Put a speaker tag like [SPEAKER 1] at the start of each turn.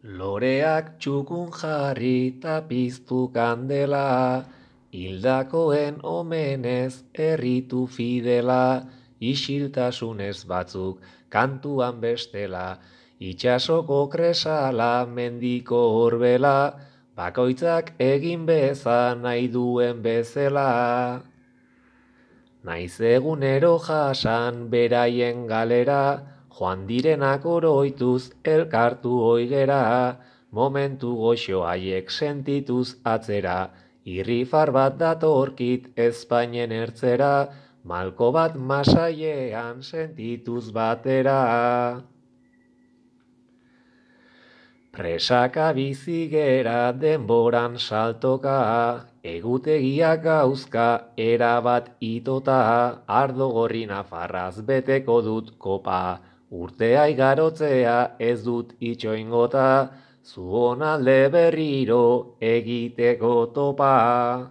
[SPEAKER 1] Loreak txukun jarri ta piztu kandela, hildakoen omenez erritu fidela, isiltasunez batzuk kantuan bestela, itxasoko kresala mendiko horbela, bakoitzak egin beza nahi duen bezela. Naiz egunero jasan beraien galera, joan direnak oroituz elkartu oigera, momentu goxo haiek sentituz atzera, irrifar bat datorkit Espainen ertzera, malko bat masailean sentituz batera. Presaka bizigera denboran saltoka, egutegiak gauzka erabat itota, ardo gorri nafarraz beteko dut kopa, urtea igarotzea ez dut itxoingota, zuon alde berriro egiteko topa.